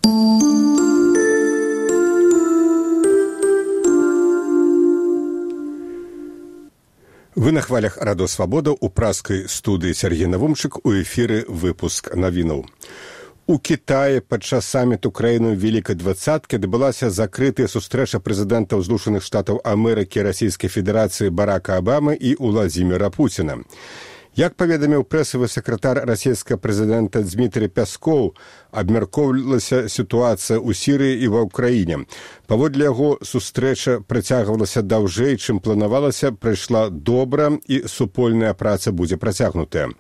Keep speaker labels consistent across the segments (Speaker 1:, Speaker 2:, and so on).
Speaker 1: Вы на хвалях Радо Свабода у праскай студыі Сергей Навумчык, у эфіры выпуск навінаў. У Кітаі падчас саміту краіну Великай Двадцаткі адбылася закрытая сустрэча прэзідэнтаў Злучаных Штатаў Амерыкі, Расійскай Федэрацыі Барака Абамы і Уладзіміра Пуціна. Як паведаміў прэсавы сакратар расійскага прэзідэнта Дмітрый Пяскоў, абмяркоўвалася сітуацыя ў Сірыі і ва ўкраіне. Паводле яго, сустрэча працягвалася даўжэй, чым планавалася, прайшла добра і супольная праца будзе працягнутая.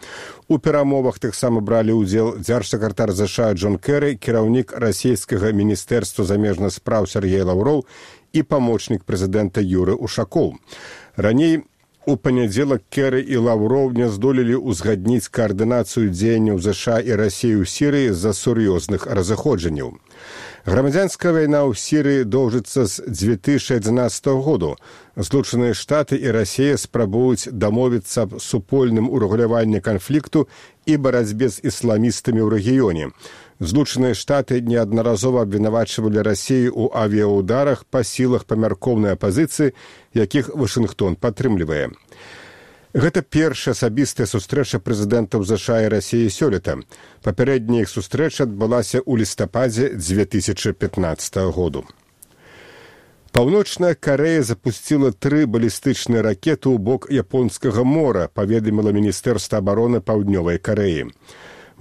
Speaker 1: У перамовах таксама бралі ўдзел дзяржсакратар ЗША Джон Кэры, кіраўнік расійскага міністэрства замежных спраў Сергей Лаўроў і памочнік прэзідэнта Юры Ушакоў. Раней у панядзелак Кэры і Лаўроў не здолелі ўзгадніць каардынацыю дзеянняў ЗША і Расіі ў Сірыі з-за сур'ёзных разыходжанняў. Грамадзянская вайна ў Сірыі доўжыцца з 2011 году. Злучаныя Штаты і Расія спрабуюць дамовіцца аб супольным урэгуляванні канфлікту і барацьбе з ісламістамі ў рэгіёне. Злучаныя Штаты неаднаразова абвінавачвалі Расію ў авіяударах па сілах памяркоўнай апазіцыі, якіх Вашынгтон падтрымлівае. Гэта першая асабістая сустрэча прэзідэнтаў ЗША і Расіі сёлета. Папярэдняя іх сустрэча адбылася ў лістападзе 2015 году. Паўночная Карэя запусціла 3 балістычныя ракеты ў бок Японскага мора, паведаміла Міністэрства абароны Паўднёвай Карэі.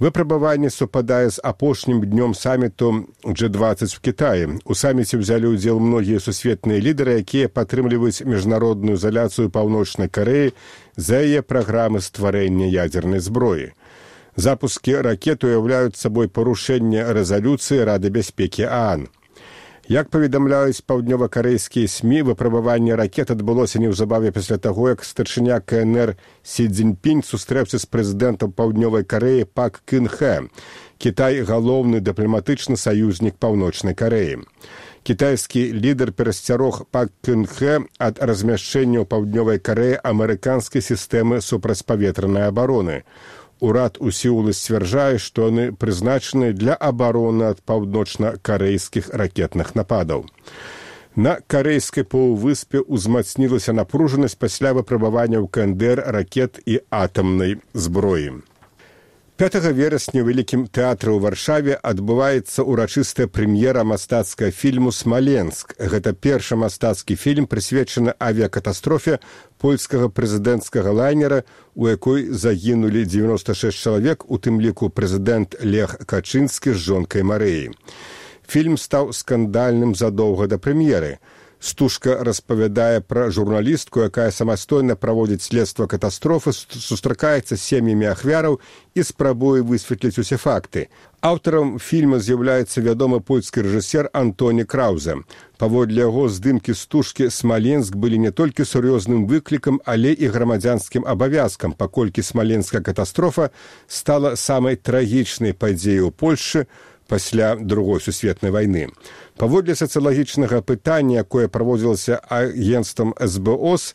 Speaker 1: Выпрабаванне супадае з апошнім днём саміту G20 в Кітаі. У саміце ўзялі ўдзел многія сусветныя лідары, якія падтрымліваюць міжнародную ізаляцыю Паўночнай Карэі за яе праграмы стварэння ядзернай зброі. Запускі ракет уяўляюць сабой парушэнне рэзалюцыі Рады бяспекі ААН. Як паведамляюць паўднёва-карэйскія СМІ, выпрабаванне ракет адбылося неўзабаве пасля таго, як старшыня КНР Сі Цзіньпінь сустрэўся з прэзідэнтам Паўднёвай Карэі Пак Кын Хэ. Кітай – галоўны дыпламатычны саюзнік Паўночнай Карэі. Кітайскі лідар перасцярог Пак Кын Хэ ад размяшчэння ў Паўднёвай Карэі амерыканскай сістэмы супрацьпаветранай абароны. Урад у Сеуле сцвярджае, што яны прызначаны для абароны ад паўночна-карэйскіх ракетных нападаў. На карэйскай паўвыспе ўзмацнілася напружанасць пасля выпрабавання ў КНДР ракет і атамнай зброі. 5 верасня ў Вялікім тэатры ў Варшаве адбываецца ўрачыстая прэм'ера мастацкага фільму «Смаленск». Гэта першы мастацкі фільм, прысвечаны авіякатастрофе польскага прэзідэнцкага лайнера, у якой загінулі 96 чалавек, у тым ліку прэзідэнт Лех Качынскі з жонкай Марыяй. Фільм стаў скандальным задоўга да прэм'еры. Стужка распавядае пра журналістку, якая самастойна праводзіць следства катастрофы, сустракаецца з сем'ямі ахвяраў і спрабуе высветліць усе факты. Аўтарам фільма з'яўляецца вядомы польскі рэжысер Антоні Краўзе. Паводле яго здымкі стужкі «Смаленск» былі не толькі сур'ёзным выклікам, але і грамадзянскім абавязкам, паколькі смаленская катастрофа стала самай трагічнай падзеяй у Польшчы пасля Другой сусветнай вайны. Паводле сацыялагічнага пытання, якое праводзілася агенцтвам СБОС,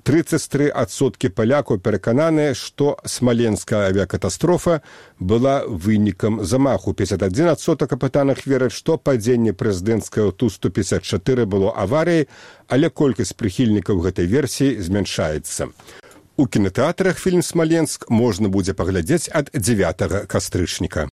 Speaker 1: 33% палякаў перакананыя, што смаленская авіякатастрофа была вынікам замаху. 51% апытаных вераць, што падзенне прэзідэнцкага Ту-154 было аварыяй, але колькасць прыхільнікаў гэтай версіі змяншаецца. У кінатэатрах фільм «Смаленск» можна будзе паглядзець ад 9 кастрычніка.